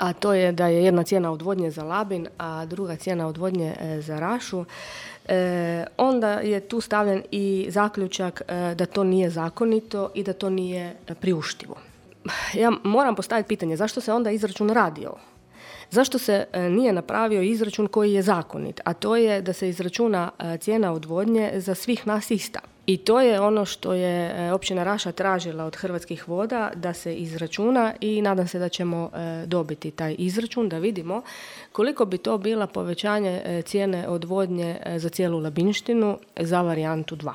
a to je da je jedna cijena odvodnje za Labin, a druga cijena odvodnje za Rašu, onda je tu stavljen i zaključak da to nije zakonito i da to nije priuštivo. Ja moram postaviti pitanje, zašto se onda izračun radio? Zašto se nije napravio izračun koji je zakonit, a to je da se izračuna cijena odvodnje za svih nas ista. I to je ono što je općina Raša tražila od Hrvatskih voda da se izračuna i nadam se da ćemo dobiti taj izračun, da vidimo koliko bi to bila povećanje cijene odvodnje za cijelu Labinštinu za varijantu 2.